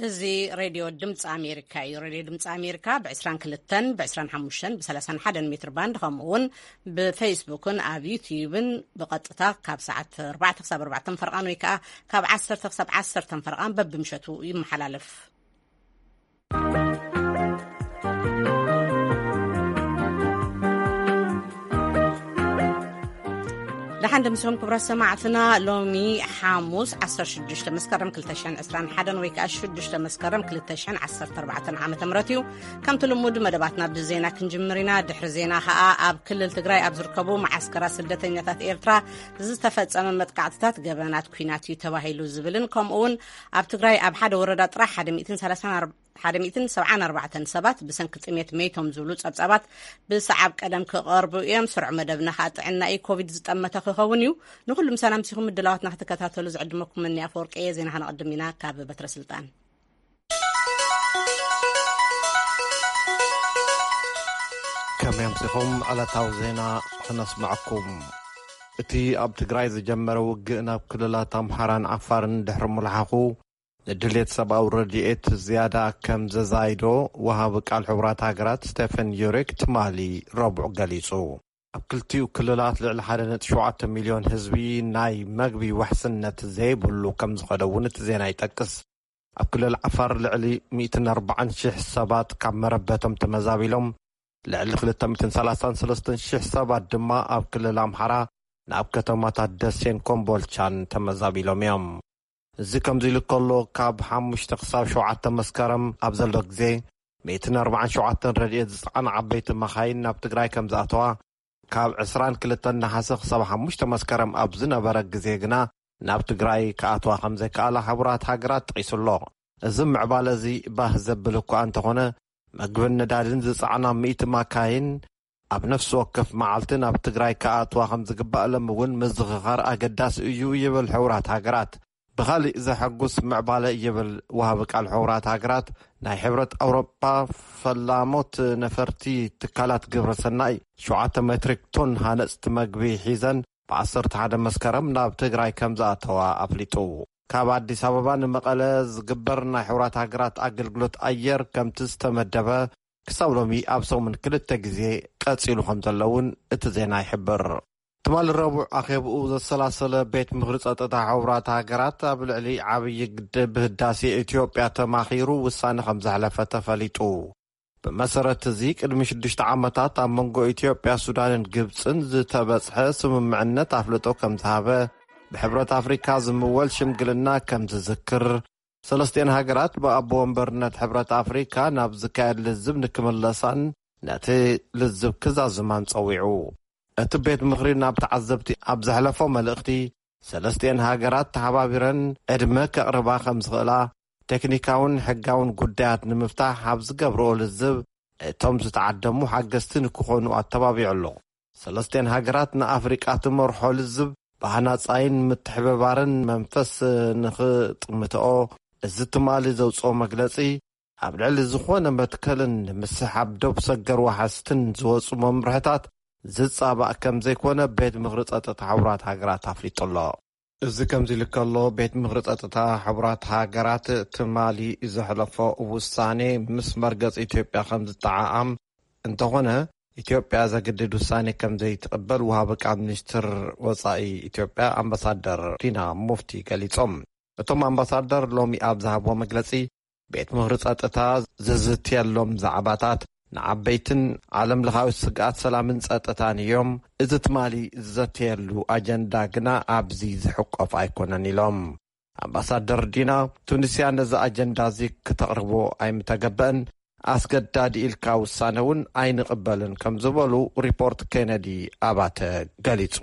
እዚ ሬድዮ ድምፂ ኣሜሪካ እዩ። ሬድዮ ድምፂ ኣሜሪካ ብ22፣ ብ25፣ ብ31 ሜትር ባንድ፣ ከምኡ እውን ብፌስቡክን ኣብ ዩትዩብን ብቐጥታ ካብ ሰዓት ኣርባዕተ ክሳብ ኣርባዕተ ፈርቓን ወይ ከዓ ካብ ዓሰርተ ክሳብ ዓሰርተ ፈርቓን በብምሸቱ ይመሓላለፍ። ደሓን ደምሲኹም ክቡራት ሰማዕትና። ሎሚ ሓሙስ ዓሰርተ ሽዱሽተ መስከረም ክልተ ሽሕን ዕስራን ሓደን ወይ ከዓ ሽዱሽተ መስከረም ክልተ ሽሕን ዓሰርተ ኣርባዕተን ዓመተ ምህረት እዩ። ከምቲ ልሙድ መደባትና ብዜና ክንጅምር ኢና። ድሕሪ ዜና ከዓ ኣብ ክልል ትግራይ ኣብ ዝርከቡ መዓስከራት ስደተኛታት ኤርትራ ዝተፈጸመ መጥቃዕትታት ገበናት ኲናት እዩ ተባሂሉ ዝብልን ከምኡ እውን ኣብ ትግራይ ኣብ ሓደ ወረዳ ጥራሕ ሓደ ሚእትን ሰላሳን ኣርባዕተን ሰባት ብሰንኪ ጥሜት መይቶም ዝብሉ ጸብጻባት ብሰዓብ ቀደም ክቐርቡ እዮም። ስሩዕ መደብና ከዓ ጥዕና እዩ። ኮቪድ ዝጠመተ ክኸውን እዩ። ንኹሉ ምሳና ምሲኹም ምድላዋትና ክትከታተሉ ዝዕድመኩም እኒ ኣፈወርቂ እየ። ዜና ከነቐድም ኢና ካብ በትረ ስልጣን። ከመይ ኣምሲኹም? ዕለታዊ ዜና ክነስምዐኩም። እቲ ኣብ ትግራይ ዝጀመረ ውግእ ናብ ክልላት ኣምሓራን ዓፋርን ድሕሪ ምልሓኹ፣ ንድሌት ሰብኣዊ ረድኤት ዝያዳ ከም ዘዛይዶ ወሃቢ ቃል ሕቡራት ሃገራት ስቴፈን ዩሪክ ትማሊ ረቡዕ ገሊጹ። ኣብ ክልቲኡ ክልላት ልዕሊ ሓደ ነጥቢ ሸውዓተ ሚልዮን ህዝቢ ናይ መግቢ ውሕስነት ዘይብሉ ከም ዝኸደ እውን እቲ ዜና ይጠቅስ። ኣብ ክልል ዓፋር ልዕሊ ሚእትን ኣርባዓን ሽሕ ሰባት ካብ መረበቶም ተመዛቢሎም፣ ልዕሊ ክልተ ሚእትን ሰላሳን ሰለስተን ሽሕ ሰባት ድማ ኣብ ክልል ኣምሓራ ናብ ከተማታት ደሴን ኮምቦልቻን ተመዛቢሎም እዮም። እዚ ከምዚ ኢሉ ከሎ፣ ካብ ሓሙሽተ ክሳብ ሸውዓተ መስከረም ኣብ ዘሎ ግዜ፣ ሚእትን ኣርባዓን ሸውዓተን ረድኤት ዝጸዓና ዓበይቲ መኻይን ናብ ትግራይ ከም ዝኣተዋ፣ ካብ ዕስራን ክልተን ነሓሰ ክሳብ ሓሙሽተ መስከረም ኣብ ዝነበረ ግዜ ግና ናብ ትግራይ ክኣትዋ ከም ዘይከኣላ ሕቡራት ሃገራት ጠቒሱ ኣሎ። እዚ ምዕባለ እዚ ባህ ዘብል እኳ እንተኾነ፣ መግብን ነዳድን ዝጸዓና ሚእቲ ማካይን ኣብ ነፍሲ ወከፍ መዓልቲ ናብ ትግራይ ክኣትዋ ከም ዝግባእ ሎም እውን ምዝኽኻር ኣገዳሲ እዩ ይብል ሕቡራት ሃገራት። ብኻሊእ ዘሐጉስ ምዕባለ ይብል ወሃቢ ቃል ሕቡራት ሃገራት፣ ናይ ሕብረት ኣውሮጳ ፈላሞት ነፈርቲ ትካላት ግብረ ሰናይ ሸውዓተ ሜትሪክ ቶን ሃነፅቲ መግቢ ሒዘን ብ ዓሰርተ ሓደ መስከረም ናብ ትግራይ ከም ዝኣተዋ ኣፍሊጡ። ካብ ኣዲስ ኣበባ ንመቐለ ዝግበር ናይ ሕቡራት ሃገራት ኣገልግሎት ኣየር ከምቲ ዝተመደበ ክሳብ ሎሚ ኣብ ሰሙን ክልተ ግዜ ቀጺሉ ከም ዘሎ እውን እቲ ዜና ይሕብር። ትማሊ ረቡዕ ኣኼብኡ ዘሰላሰለ ቤት ምኽሪ ጸጥታ ሕቡራት ሃገራት ኣብ ልዕሊ ዓብዪ ግድብ ህዳሴ ኢትዮጵያ ተማኺሩ ውሳነ ከም ዘሕለፈ ተፈሊጡ። ብመሰረት እዚ ቅድሚ ሽዱሽተ ዓመታት ኣብ መንጎ ኢትዮጵያ፣ ሱዳንን ግብጽን ዝተበጽሐ ስምምዕነት ኣፍልጦ ከም ዝሃበ፣ ብሕብረት ኣፍሪካ ዝምወል ሽምግልና ከም ዝዝክር፣ ሰለስቲኤን ሃገራት ብኣቦ ወንበርነት ሕብረት ኣፍሪካ ናብ ዝካየድ ልዝብ ንክምለሳን ነቲ ልዝብ ክዛዝማን ጸዊዑ። እቲ ቤት ምኽሪ ናብ ተዓዘብቲ ኣብ ዘሕለፎ መልእኽቲ፣ ሰለስቲኤን ሃገራት ተሓባቢረን ዕድመ ከቕርባ ከም ዝኽእላ፣ ቴክኒካውን ሕጋውን ጉዳያት ንምፍታሕ ኣብ ዝገብርኦ ልዝብ፣ እቶም ዝተዓደሙ ሓገዝቲ ንክኾኑ ኣተባቢዑ ኣሎ። ሰለስቲኤን ሃገራት ንኣፍሪቃ ትመርሖ ልዝብ ብሃናጻይን ምትሕብባርን መንፈስ ንኽጥምትኦ፣ እዚ ትማሊ ዘውጽኦ መግለጺ፣ ኣብ ልዕሊ ዝኾነ መትከልን ንምስሓብ ዶብ ሰገር ዋሕስትን ዝወጹ መምርሕታት ዝጻባእ ከም ዘይኮነ ቤት ምኽሪ ጸጥታ ሕቡራት ሃገራት ኣፍሊጡ ኣሎ። እዚ ከምዚ ኢሉ ከሎ፣ ቤት ምኽሪ ጸጥታ ሕቡራት ሃገራት ትማሊ ዘሕለፎ ውሳኔ ምስ መርገጽ ኢትዮጵያ ከም ዝጠዓዓም፣ እንተኾነ፣ ኢትዮጵያ ዘግድድ ውሳኔ ከም ዘይትቕበል ወሃቢ ቃል ሚኒስትር ወጻኢ ኢትዮጵያ ኣምባሳደር ዲና ሙፍቲ ገሊጾም። እቶም ኣምባሳደር ሎሚ ኣብ ዝሃብዎ መግለጺ፣ ቤት ምኽሪ ጸጥታ ዝዝትየሎም ዛዕባታት ንዓበይትን ዓለም ለኻዊ ስግኣት ሰላምን ጸጥታን እዮም። እዚ ትማሊ ዝዘተየሉ ኣጀንዳ ግና ኣብዚ ዝሕቆፍ ኣይኮነን ኢሎም። ኣምባሳደር ዲና፣ ቱኒስያ ነዚ ኣጀንዳ እዚ ክተቕርቦ ኣይምተገበእን፣ ኣስገዳዲ ኢልካ ውሳነ እውን ኣይንቕበልን ከም ዝበሉ ሪፖርት ኬነዲ ኣባተ ገሊጹ።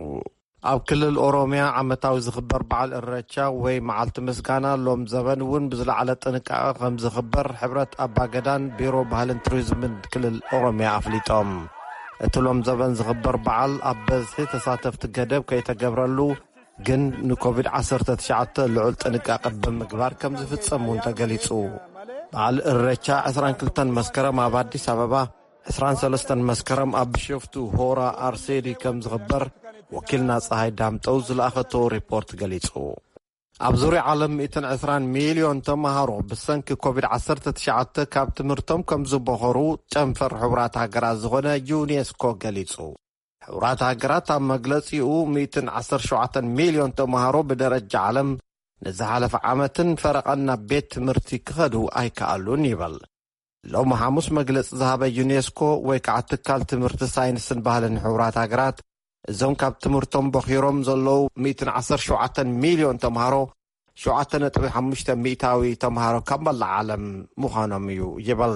ኣብ ክልል ኦሮሚያ ዓመታዊ ዝኽበር በዓል እረቻ ወይ መዓልቲ ምስጋና ሎም ዘበን እውን ብዝለዓለ ጥንቃቐ ከም ዝኽበር ሕብረት ኣባገዳን ቢሮ ባህልን ቱሪዝምን ክልል ኦሮሚያ ኣፍሊጦም። እቲ ሎም ዘበን ዝኽበር በዓል ኣብ በዝሒ ተሳተፍቲ ገደብ ከይተገብረሉ፣ ግን ንኮቪድ ዓሰርተ ትሽዓተ ልዑል ጥንቃቐ ብምግባር ከም ዝፍጸም እውን ተገሊጹ። በዓል እረቻ ዕስራን ክልተን መስከረም ኣብ ኣዲስ ኣበባ፣ ዕስራን ሰለስተን መስከረም ኣብ ቢሾፍቱ ሆራ ኣርሴዲ ከም ዝኽበር ወኪልና ፀሃይ ዳምጠው ዝለኣኸቶ ሪፖርት ገሊጹ። ኣብ ዙርያ ዓለም ሚእትን ዕስራን ሚልዮን ተምሃሮ ብሰንኪ ኮቪድ ዓሰርተ ትሽዓተ ካብ ትምህርቶም ከም ዝበኸሩ ጨንፈር ሕቡራት ሃገራት ዝኾነ ዩኔስኮ ገሊጹ። ሕቡራት ሃገራት ኣብ መግለጺኡ፣ ሚእትን ዓሰርተ ሸውዓተን ሚልዮን ተምሃሮ ብደረጃ ዓለም ንዝሓለፈ ዓመትን ፈረቓን ናብ ቤት ትምህርቲ ክኸዱ ኣይከኣሉን ይብል። ሎሚ ሓሙስ መግለጺ ዝሃበ ዩኔስኮ ወይ ከዓ ትካል ትምህርቲ፣ ሳይንስን ባህልን ሕቡራት ሃገራት፣ እዞም ካብ ትምህርቶም በኺሮም ዘለዉ ሚእትን ዓሰርተ ሸውዓተን ሚልዮን ተምሃሮ፣ ሸውዓተ ነጥቢ ሓሙሽተ ሚእታዊ ተምሃሮ ካብ መላእ ዓለም ምዃኖም እዩ ይብል።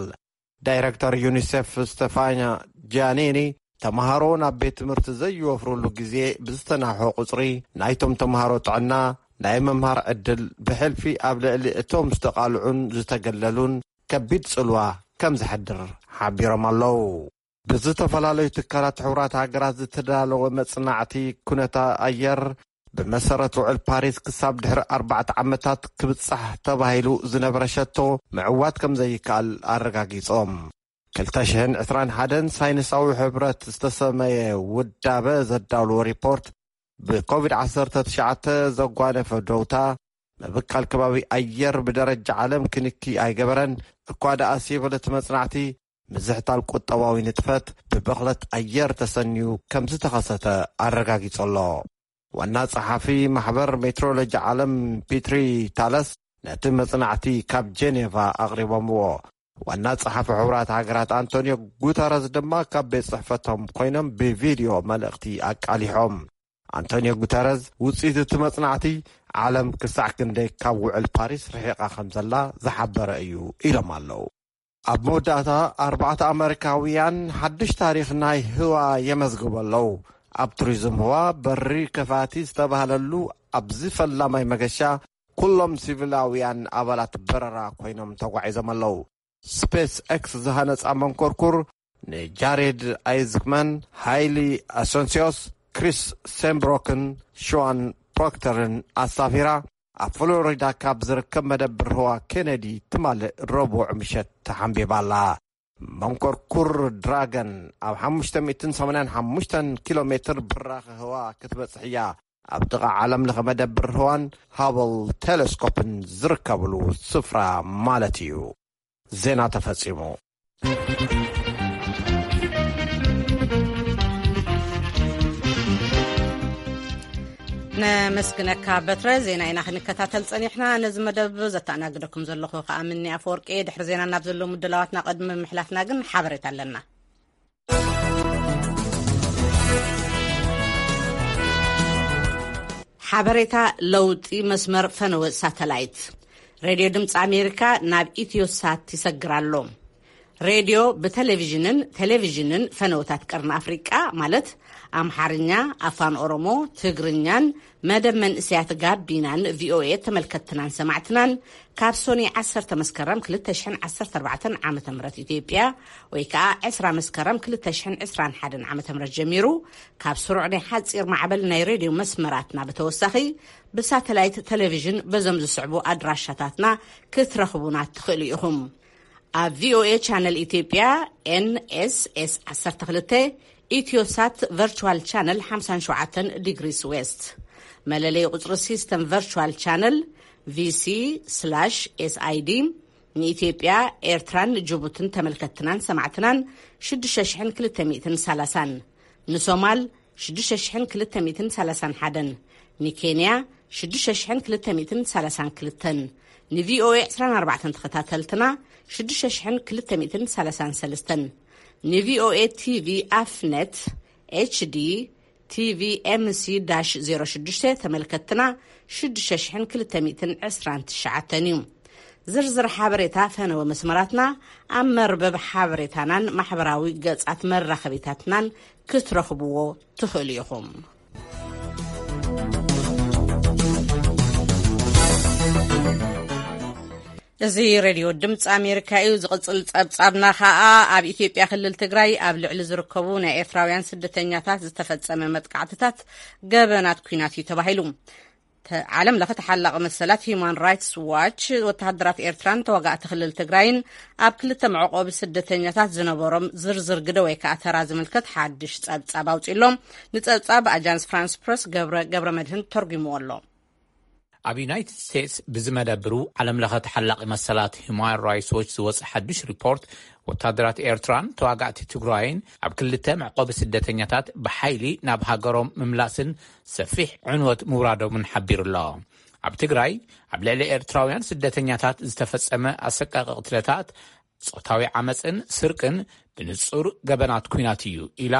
ዳይረክተር ዩኒሴፍ ስቴፋንያ ጃኒኒ፣ ተምሃሮ ናብ ቤት ትምህርቲ ዘይወፍሩሉ ግዜ ብዝተናውሐ ቁጽሪ፣ ናይቶም ተምሃሮ ጥዕና፣ ናይ ምምሃር ዕድል፣ ብሕልፊ ኣብ ልዕሊ እቶም ዝተቓልዑን ዝተገለሉን ከቢድ ጽልዋ ከም ዘሕድር ሓቢሮም ኣለዉ። ብዝተፈላለዩ ትካላት ሕቡራት ሃገራት ዝተዳለወ መጽናዕቲ ኩነታ ኣየር፣ ብመሰረት ውዕል ፓሪስ ክሳብ ድሕሪ ኣርባዕተ ዓመታት ክብጻሕ ተባሂሉ ዝነበረ ሸቶ ምዕዋት ከም ዘይከኣል ኣረጋጊጾም። ክልተ ሽሕን ዕስራን ሓደን ሳይንሳዊ ሕብረት ዝተሰመየ ውዳበ ዘዳለዎ ሪፖርት፣ ብኮቪድ ዓሰርተ ትሽዓተ ዘጓነፈ ደውታ፣ ምብካል ከባቢ ኣየር ብደረጃ ዓለም ክንኪ ኣይገበረን። እኳ ደኣ ሲብል እቲ መጽናዕቲ፣ ምዝሕታል ቁጠባዊ ንጥፈት ብብኽለት ኣየር ተሰንዩ ከም ዝተኸሰተ ኣረጋጊጹ ኣሎ። ዋና ጸሓፊ ማሕበር ሜትሮሎጂ ዓለም ፒትሪ ታለስ ነቲ መጽናዕቲ ካብ ጄኔቫ ኣቕሪቦምዎ። ዋና ጸሓፊ ሕቡራት ሃገራት ኣንቶኒዮ ጉተረዝ ድማ ካብ ቤት ጽሕፈቶም ኮይኖም ብቪድዮ መልእኽቲ ኣቃሊሖም። ኣንቶኒዮ ጉተረዝ፣ ውጽኢት እቲ መጽናዕቲ፣ ዓለም ክሳዕ ክንደይ ካብ ውዕል ፓሪስ ርሒቓ ከም ዘላ ዝሓበረ እዩ ኢሎም ኣለዉ። ኣብ መወዳእታ፣ ኣርባዕተ ኣመሪካውያን ሓድሽ ታሪኽ ናይ ህዋ የመዝግቡ ኣለዉ። ኣብ ቱሪዝም ህዋ፣ በሪ ከፋቲ ዝተባህለሉ ኣብዚ ፈላማይ መገሻ፣ ኩሎም ሲቪላውያን ኣባላት በረራ ኮይኖም ተጓዒዞም ኣለዉ። ስፔስ ኤክስ ዝሃነጻ መንኮርኩር፣ ንጃሬድ ኣይዝክመን፣ ሃይሊ ኣሰንሲዮስ፣ ክሪስ ሴምብሮክን ሸዋን ፕሮክተርን ኣሳፊራ፣ ኣብ ፍሎሪዳ ካብ ዝርከብ መደብር ህዋ ኬነዲ ትማሊ ረቡዕ ምሸት ተሓንቢባ ኣላ። መንኮርኩር ድራገን ኣብ ሓሙሽተ ሚእትን ሰማንያን ሓሙሽተን ኪሎ ሜትር ብራኸ ህዋ ክትበጽሕ እያ። ኣብ ጥቓ ዓለም ለኸ መደብር ህዋን ሃብል ቴሌስኮፕን ዝርከብሉ ስፍራ ማለት እዩ። ዜና ተፈጺሙ። ነመስግነካ በትረ። ዜና ኢና ክንከታተል ጸኒሕና። ነዚ መደብ ዘተኣናግደኩም ዘለኹ ከኣ ምኒ ኣፈወርቂ። ድሕሪ ዜና ናብ ዘለዉ ምድላዋትና ቅድሚ ምሕላፍና ግን ሓበሬታ ኣለና። ሓበሬታ። ለውጢ መስመር ፈነወ ሳተላይት። ሬድዮ ድምፂ ኣሜሪካ ናብ ኢትዮሳት ይሰግር ኣሎ። ሬድዮ ብቴሌቪዥንን ቴሌቪዥንን ፈነወታት ቀርኒ ኣፍሪቃ፣ ማለት ኣምሓርኛ፣ ኣፋን ኦሮሞ፣ ትግርኛን መደብ መንእሰያት ጋቢናን ቪኦኤ ተመልከትትናን ሰማዕትናን፣ ካብ ሶኒ ዓሰርተ መስከረም ክልተ ሽሕን ዓሰርተ ኣርባዕተን ዓመተ ምህረት ኢትዮጵያ፣ ወይ ከኣ ዕስራ መስከረም ክልተ ሽሕን ዕስራን ሓደን ዓመተ ምህረት ጀሚሩ፣ ካብ ስሩዕ ናይ ሓጺር ማዕበል ናይ ሬድዮ መስመራትና ብተወሳኺ፣ ብሳተላይት ቴሌቪዥን በዞም ዝስዕቡ ኣድራሻታትና ክትረኽቡና ትኽእሉ ኢኹም። ኣብ ቪኦኤ ቻነል ኢትዮጵያ፣ ኤንኤስኤስ ዓሰርተ ክልተ፣ ኢትዮሳት ቨርቹዋል ቻነል ሓምሳን ሸውዓተን ዲግሪስ ዌስት፣ መለለይ ቁጽሪ ሲስተም ቨርቹዋል ቻነል፣ ቪሲ ስላሽ ኤስኣይዲ፣ ንኢትዮጵያ፣ ኤርትራን ጅቡትን ተመልከትትናን ሰማዕትናን ሽዱሽተ ሽሕን ክልተ ሚእትን ሰላሳን፣ ንሶማል ሽዱሽተ ሽሕን ክልተ ሚእትን ሰላሳን ሓደን፣ ንኬንያ ሽዱሽተ ሽሕን ክልተ ሚእትን ሰላሳን ክልተን፣ ንቪኦኤ ዕስራን ኣርባዕተን ተኸታተልትና ሽዱሽተ ሽሕን ክልተ ሚእትን ሰላሳን ሰለስተን፣ ንቪኦኤ ቲቪ ኣፍነት ኤችዲ ቲቪ ኤምሲ ዳሽ ዜሮ ሽዱሽተ ተመልከትትና ሽዱሽተ ሽሕን ክልተ ሚእትን ዕስራን ትሽዓተን እዩ። ዝርዝር ሓበሬታ ፈነወ መስመራትና ኣብ መርበብ ሓበሬታናን ማሕበራዊ ገጻት መራኸቢታትናን ክትረኽብዎ ትኽእሉ ኢኹም። እዚ ሬድዮ ድምፂ ኣሜሪካ እዩ። ዝቕጽል ጸብጻብና ኸኣ ኣብ ኢትዮጵያ ክልል ትግራይ ኣብ ልዕሊ ዝርከቡ ናይ ኤርትራውያን ስደተኛታት ዝተፈጸመ መጥቃዕትታት ገበናት ኲናት እዩ ተባሂሉ። ተ-፣ ዓለም ለኸ ተሓላቒ መሰላት ሂዩማን ራይትስ ዋች፣ ወተሃደራት ኤርትራን ተዋጋእቲ ክልል ትግራይን ኣብ ክልተ መዕቆቢ ስደተኛታት ዝነበሮም ዝርዝር ግደ ወይ ከኣ ተራ ዝምልከት ሓድሽ ጸብጻብ ኣውጺእሎም። ንጸብጻብ ኣጃንስ ፍራንስ ፕረስ ገብረ፣ ገብረ መድህን ተርጉምዎ ኣሎ። ኣብ ዩናይትድ ስቴትስ ብዝመደብሩ ዓለም ለኸ ተሓላቒ መሰላት ሁማን ራይትስ ዎች ዝወፀ ሓዱሽ ሪፖርት፣ ወታደራት ኤርትራን ተዋጋእቲ ትግራይን ኣብ ክልተ መዕቆቢ ስደተኛታት ብሓይሊ ናብ ሃገሮም ምምላስን ሰፊሕ ዕንወት ምውራዶምን ሓቢሩ ኣሎ። ኣብ ትግራይ ኣብ ልዕሊ ኤርትራውያን ስደተኛታት ዝተፈጸመ ኣሰቃቂ ቅትለታት፣ ጾታዊ ዓመጽን ስርቅን ብንጹር ገበናት ኲናት እዩ ኢላ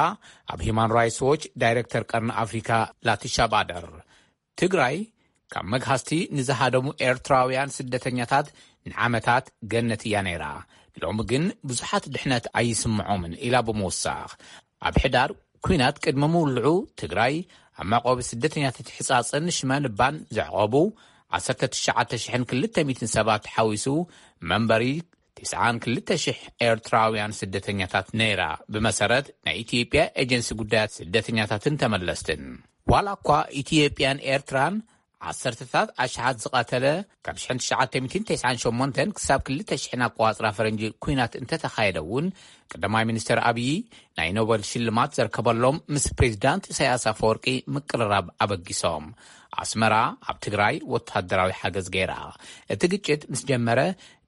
ኣብ ሂማን ራይትስ ዎች ዳይሬክተር ቀርኒ ኣፍሪካ ላቲሻ ባደር። ትግራይ ካብ መግሃስቲ ንዝሃደሙ ኤርትራውያን ስደተኛታት ንዓመታት ገነት እያ ነይራ። ሎሚ ግን ብዙሓት ድሕነት ኣይስምዖምን ኢላ ብምውሳኽ፣ ኣብ ሕዳር ኲናት ቅድሚ ምውልዑ ትግራይ ኣብ መዕቆቢ ስደተኛታት ሕጻጽን ሽመልባን ዘዕቆቡ ዓሰርተ ትሽዓተ ሽሕን ክልተ ሚእትን ሰባት ሓዊሱ መንበሪ ትስዓን ክልተ ሽሕ ኤርትራውያን ስደተኛታት ነይራ፣ ብመሰረት ናይ ኢትዮጵያ ኤጀንሲ ጉዳያት ስደተኛታትን ተመለስትን። ዋላ እኳ ኢትዮጵያን ኤርትራን ዓሰርተታት ኣሽሓት ዝቐተለ፣ ካብ ሽሕን ትሽዓተ ሚእትን ተስዓን ሸሞንተን ክሳብ ክልተ ሽሕን ኣቆጻጽራ ፈረንጂ ኲናት እንተተኻየደ እውን፣ ቀዳማይ ሚኒስትር ኣብዪ ናይ ኖበል ሽልማት ዘርከበሎም ምስ ፕሬዚዳንት ኢሳያስ ኣፈወርቂ ምቅርራብ ኣበጊሶም። ኣስመራ ኣብ ትግራይ ወታደራዊ ሓገዝ ገይራ። እቲ ግጭት ምስ ጀመረ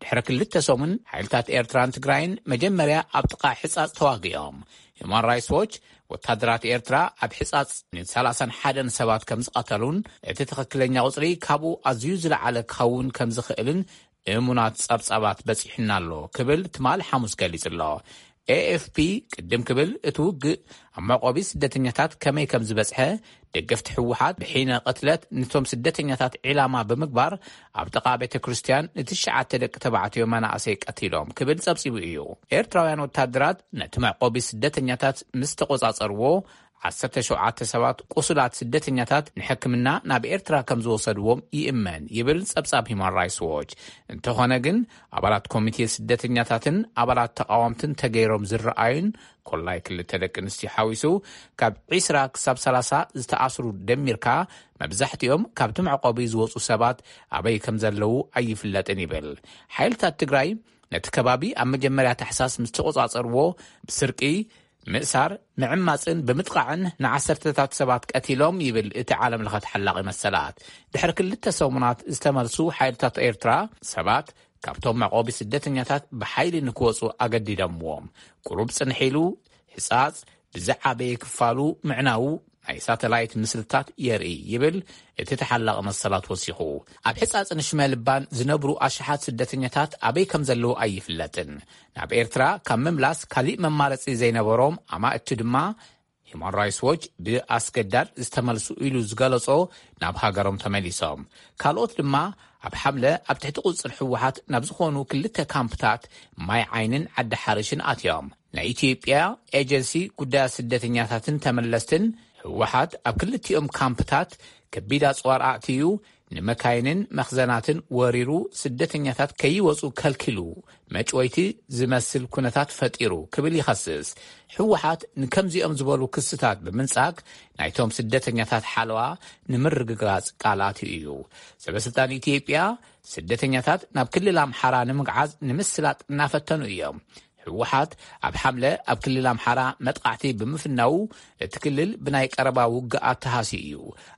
ድሕሪ ክልተ ሰሙን፣ ሓይልታት ኤርትራን ትግራይን መጀመርያ ኣብ ጥቓ ሕጻጽ ተዋጊኦም። ሂማን ራይትስ ዎች፣ ወታደራት ኤርትራ ኣብ ሕጻጽ ንሰላሳን ሓደን ሰባት ከም ዝቐተሉን፣ እቲ ትኽክለኛ ቁጽሪ ካብኡ ኣዝዩ ዝለዓለ ክኸውን ከም ዝኽእልን እሙናት ጸብጻባት በጺሑና ኣሎ ክብል ትማል ሓሙስ ገሊጹ ኣሎ። ኤ ኤፍ ፒ ቅድም ክብል፣ እቲ ውግእ ኣብ መዕቆቢ ስደተኛታት ከመይ ከም ዝበጽሐ፣ ደገፍቲ ህወሓት ብሒነ ቅትለት ነቶም ስደተኛታት ዒላማ ብምግባር ኣብ ጥቓ ቤተ ክርስቲያን ንትሽዓተ ደቂ ተባዕትዮ መናእሰይ ቀቲሎም ክብል ጸብጺቡ እዩ። ኤርትራውያን ወታደራት ነቲ መዕቆቢ ስደተኛታት ምስ ተቆጻጸርዎ፣ ዓሰርተ ሸውዓተ ሰባት ቁሱላት ስደተኛታት ንሕክምና ናብ ኤርትራ ከም ዝወሰድዎም ይእመን ይብል ጸብጻብ ሂማን ራይትስ ዎች። እንተኾነ ግን፣ ኣባላት ኮሚቴ ስደተኛታትን ኣባላት ተቓወምትን ተገይሮም ዝረኣዩን፣ ኮላይ ክልተ ደቂ ኣንስትዮ ሓዊሱ፣ ካብ ዒስራ ክሳብ ሰላሳ ዝተኣስሩ ደሚርካ፣ መብዛሕትኦም ካብቲ መዕቆቢ ዝወጹ ሰባት ኣበይ ከም ዘለዉ ኣይፍለጥን ይብል። ሓይልታት ትግራይ ነቲ ከባቢ ኣብ መጀመርያ ታሕሳስ ምስ ተቆጻጸርዎ፣ ብስርቂ፣ ምእሳር፣ ምዕማጽን ብምጥቃዕን ንዓሰርተታት ሰባት ቀቲሎም ይብል እቲ ዓለም ለኸ ተሓላቒ መሰላት። ድሕሪ ክልተ ሰሙናት ዝተመልሱ ሓይልታት ኤርትራ ሰባት ካብቶም መዕቆቢ ስደተኛታት ብሓይሊ ንክወጹ ኣገዲዶምዎም። ቁሩብ ጽንሕ ኢሉ፣ ሕጻጽ ብዝዓበየ ክፋሉ ምዕናዉ ናይ ሳተላይት ምስልታት የርኢ ይብል እቲ ተሓላቒ መሰላት ወሲኹ። ኣብ ሕጻጽ ንሽመልባን ዝነብሩ ኣሽሓት ስደተኛታት ኣበይ ከም ዘለዉ ኣይፍለጥን። ናብ ኤርትራ ካብ ምምላስ ካሊእ መማረጺ ዘይነበሮም ኣማእቲ ድማ፣ ሂማን ራይትስ ዎች ብኣስገዳድ ዝተመልሱ ኢሉ ዝገለጾ ናብ ሃገሮም ተመሊሶም። ካልኦት ድማ ኣብ ሓምለ ኣብ ትሕቲ ቁጽር ህወሓት ናብ ዝኾኑ ክልተ ካምፕታት ማይ ዓይንን ዓዲ ሓርሽን ኣትዮም። ናይ ኢትዮጵያ ኤጀንሲ ጉዳያት ስደተኛታትን ተመለስትን፣ ህወሓት ኣብ ክልቲኦም ካምፕታት ከቢድ ኣጽዋር ኣእትዩ፣ ንመካይንን መኽዘናትን ወሪሩ፣ ስደተኛታት ከይወጹ ከልኪሉ፣ መጭወይቲ ዝመስል ኩነታት ፈጢሩ ክብል ይኸስስ። ህወሓት ንከምዚኦም ዝበሉ ክስታት ብምንጻግ፣ ናይቶም ስደተኛታት ሓለዋ ንምርግጋጽ ቃል ኣትዩ እዩ። ሰበስልጣን ኢትዮጵያ፣ ስደተኛታት ናብ ክልል ኣምሓራ ንምግዓዝ ንምስላጥ እናፈተኑ እዮም። ህወሓት ኣብ ሓምለ ኣብ ክልል ኣምሓራ መጥቃዕቲ ብምፍናዉ፣ እቲ ክልል ብናይ ቀረባ ውግኣት ተሃስዩ እዩ።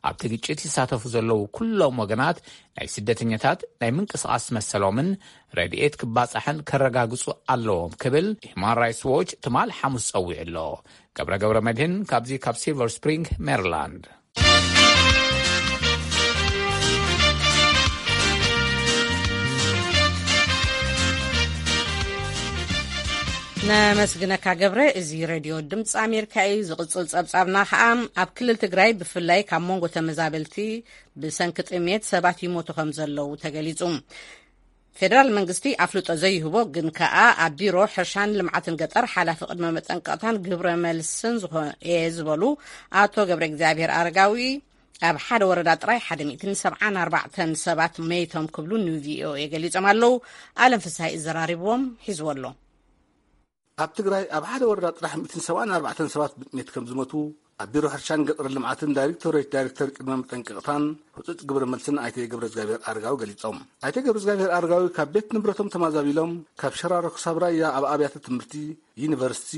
ኣብቲ ግጭት ይሳተፉ ዘለዉ ኩሎም ወገናት፣ ናይ ስደተኛታት ናይ ምንቅስቓስ መሰሎምን ረድኤት ክባጻሕን ከረጋግጹ ኣለዎም ክብል ሂማን ራይትስ ዎች ትማል ሓሙስ ጸዊዑ ኣሎ። ገብረ ገብረ መድህን ካብዚ ካብ ሲልቨር ስፕሪንግ ሜሪላንድ። ነመስግነካ ገብረ። እዚ ሬድዮ ድምፂ ኣሜሪካ እዩ። ዝቕፅል ፀብፃብና ከዓ፣ ኣብ ክልል ትግራይ ብፍላይ ካብ መንጎ ተመዛበልቲ ብሰንኪ ጥሜት ሰባት ይሞቱ ከም ዘለዉ ተገሊፁ። ፌደራል መንግስቲ ኣፍልጦ ዘይህቦ ግን ከኣ ኣብ ቢሮ ሕርሻን ልምዓትን ገጠር ሓላፊ ቅድመ መጠንቀቕታን ግብረ መልስን ዝኾ-፣ እየ ዝበሉ ኣቶ ገብረ እግዚኣብሔር ኣረጋዊ፣ ኣብ ሓደ ወረዳ ጥራይ ሓደ ሚእትን ሰብዓን ኣርባዕተን ሰባት መይቶም ክብሉ ን ቪ ኦ ኤ ገሊጾም ኣለዉ። ኣለም ፍስሃይ ዘራሪብዎም ሒዝዎ ኣሎ። ኣብ ትግራይ ኣብ ሓደ ወረዳ ጥራሕ ሚእትን ሰብዓን ኣርባዕተን ሰባት ብጥሜት ከም ዝሞቱ ኣብ ቢሮ ሕርሻን ገጠር ልምዓትን ዳይሬክቶሬት ዳይሬክተር ቅድመ መጠንቀቕታን ህጹጽ ግብረ መልስን ኣይተ ገብረ እግዚኣብሔር ኣረጋዊ ገሊጾም። ኣይተ ገብረ እግዚኣብሔር ኣረጋዊ ካብ ቤት ንብረቶም ተማዛቢሎም ካብ ሸራሮ ክሳብ ራያ ኣብ ኣብያተ ትምህርቲ፣ ዩኒቨርሲቲ፣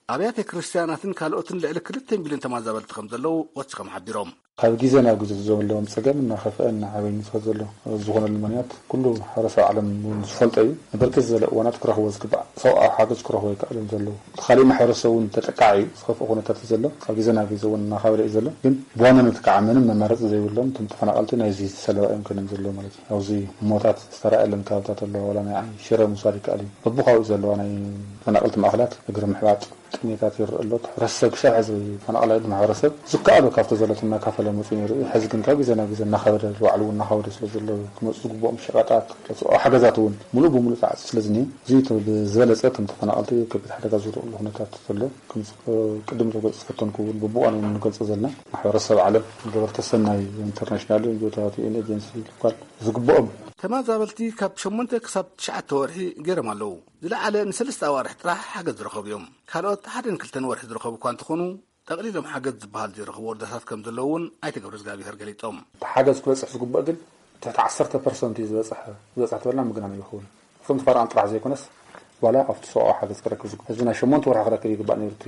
ኣብያተ ክርስትያናትን ካልኦትን ልዕሊ ክልተ ሚልዮን ተማዛበልቲ ከም ዘለዉ ወሲኾም ሓቢሮም። ካብ ግዜ ናብ ግዜ ዘለዎም ጸገም እናኸፍአ እናዓበየ ዝኸድ ዘሎ። ዝኾነሉ ምኽንያት ኩሉ ማሕበረሰብ ዓለም እውን ዝፈልጦ እዩ። ንብርክት ዝበለ እዋናት ክረኽቦ ዝግባእ ሰብኣዊ ሓገዝ ክረኽቦ ኣይከኣለን ዘለዉ። እቲ ካሊእ ማሕበረሰብ እውን ተጠቃዒ እዩ። ዝኸፍአ ኩነታት እዩ ዘሎ። ካብ ግዜ ናብ ግዜ እውን እናኸበደ እዩ ዘሎ። ግን ብዋናነት ከዓ ምንም መማረፂ ዘይብሎም እቶም ተፈናቐልቲ ናይዚ ሰለባ እዮም ኮይኖም ዘለዉ ማለት እዩ። ኣብዚ ሞታት ዝተረኣየለን ከባብታት ኣለዋ። ዋላ ናይ ዓይ ሽረ ምውሳድ ይከኣል እዩ። በብከባቢኡ ዘለዋ ናይ ተፈናቐልቲ ማእኸላት እግሪ ምሕባጥ ጥሜታት ይረአ ኣሎ። እቲ ሕብረተሰብ ክሳብ ሕዚ ፈናቕላይ ማሕበረሰብ ዝከኣሎ ካብቲ ዘሎ እናካፈለ መፂኡ ነይሩ እዩ። ሕዚ ግን ካብ ግዜ ናብ ግዜ እናኸበደ፣ ባዕሉ እውን እናኸበደ ስለ ዘሎ ክመፁ ዝግብኦም ሸቐጣት፣ ሰብኣዊ ሓገዛት እውን ሙሉእ ብሙሉእ ተዓፅዩ ስለ ዝኒሀ፣ እዚ እቲ ብዝበለፀ እቶም ተፈናቐልቲ ከቢድ ሓደጋ ዝወድቕሉ ኩነታት ዘሎ ከም ቅድም ክገልፅ ዝፈተንኩ እውን በብእዋኑ እውን ንገልፆ ዘለና። ማሕበረሰብ ዓለም፣ ገበርቲ ሰናይ ኢንተርናሽናል፣ ን ጂ ኦታት፣ ዩ ኤን ኤጀንሲ፣ ሎካል ዝግብኦም ተመዛበልቲ ካብ ሸሞንተ ክሳብ ትሽዓተ ወርሒ ገይሮም ኣለዉ። ዝለዓለ ንሰለስተ ኣዋርሕ ጥራሕ ሓገዝ ዝረኸቡ እዮም። ካልኦት ሓደን ክልተን ወርሒ ዝረኸቡ እኳ እንተኾኑ፣ ጠቕሊሎም ሓገዝ ዝበሃል ዘይረኸቡ ወረዳታት ከም ዘለዉ እውን ኣይተ ገብረእግዚኣብሄር ገሊጾም። እቲ ሓገዝ ክበጽሕ ዝግብኦ ግን ትሕቲ ዓሰርተ ፐርሰንት እዩ ዝበጽሐ። ዝበጽሐ ተበልና ምግናን ኣይኸውን። እቶም ተፈናቐልቲ ጥራሕ ዘይኮነስ፣ ዋላ ኣብቲ ሰብኣዊ ሓገዝ ክረክብ ዝግብኦ ህዝቢ ናይ ሸሞንተ ወርሒ ክረክብ ይግባእ ነይሩ። እቲ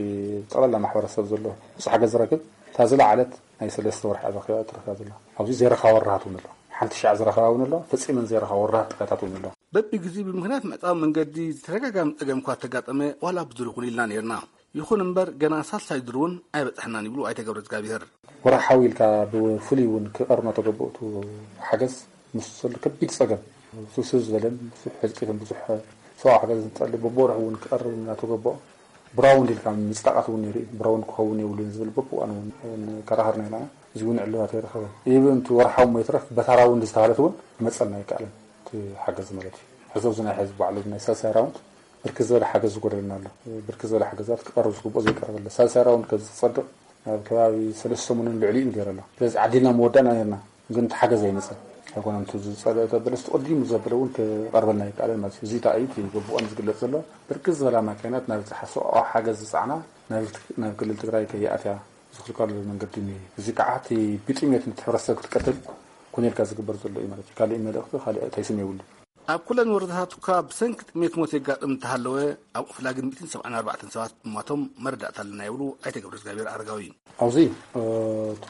ጠቕላላ ማሕበረሰብ ዘሎ ምስ ሓገዝ ዝረክብ፣ እታ ዝለዓለት ናይ ሰለስተ ወርሒ እያ ረኺባ፣ ትረክባ ዘላ። ኣብዚ ዘይረኸባ ወረዳታት እውን ኣሎ። ሓንቲ ሻዕ ዝረኸባ እውን ኣሎ፣ ፈጺመን ዘይረኸባ ወረዳታት ጥራታት እውን ኣሎ። በብግዜኡ ብምኽንያት ምዕጻው መንገዲ ዝተደጋጋሚ ጸገም እኳ ተጋጠመ፣ ዋላ ብድሩኽ እውን ኢልና ነይርና። ይኹን እምበር፣ ገና ሳልሳይ ዙር እውን ኣይበጻሕናን ይብሉ ኣይተ ገብረእግዚኣብሄር። ወርሓዊ ኢልካ ብፍሉይ እውን ክቐርብ እናተገበኦ እቲ ሓገዝ ምስ ዘሎ ከቢድ ጸገም፣ ስብስብ ዝበለን ብዙሕ ህልቂትን ብዙሕ ሰብኣዊ ሓገዝ እንተሎ በብወርሑ እውን ክቐርብ እናተገበኦ፣ ብራውንድ ኢልካ ምጽዳቓት እውን ነይሩ እዩ። ብራውንድ ክኸውን የብሉን ዝብል በብእዋኑ እውን ከራኸርና ኢና። እዚ እውን ዕልባት ኣይረኸበን። ኢቭን እቲ ወርሓዊ እሞ ይትረፍ፣ በታ ራውንድ ዝተባህለት እውን ክመጸልና ኣይከኣለን። እቲ ሓገዝ ማለት እዩ። ሕዚ ኣብዚ ናይ ሕዚ ባዕሉ ናይ ሳልሳይ ራውንድ ብርክት ዝበለ ሓገዝ ዝጎደለና ኣሎ። ብርክት ዝበለ ሓገዛት ክቐርብ ዝግብኦ ዘይቀረበ ኣሎ። ሳልሳይ ራውንድ ከዚ ዝጸድቕ ኣብ ከባቢ ሰለስተ ሰሙንን ልዕሊኡን ገይሩ ኣሎ። ስለዚ ዓዲልና መወዳእና ነርና፣ ግን እቲ ሓገዝ ኣይመጸን። ኣይኮነን እቲ ዝጸደቐ ተበለስ ተቐዲሙ ዘበለ እውን ክቐርበልና ኣይከኣለን ማለት እዩ። እዚ እንታይ እዩ እቲ ግቡእን ዝግለጽ ዘሎ? ብርክት ዝበላ ማካይናት ናብ ዝሓሰኦ ሓገዝ ዝጸዓና ናብ ክልል ትግራይ ከይኣትያ ዝኽልከሉ መንገዲ እኒሀ። እዚ ከዓ እቲ ብጥሜት ነቲ ሕብረተሰብ ክትቀትል ኮነ ኢልካ ዝግበር ዘሎ እዩ ማለት እዩ። ካሊእ መልእኽቲ፣ ካሊእ ተይስም የብሉን። ኣብ ኩለን ወረዳታት እኳ ብሰንኪ ጥሜት ሞት የጋጥም እንተሃለወ፣ ኣብ ኦፍላ ግን ሚእትን ሰብዓን ኣርባዕተን ሰባት ምሟቶም መረዳእታ ኣለና ይብሉ ኣይተ ገብረእግዚኣብሔር ኣረጋዊ። ኣብዚ እቲ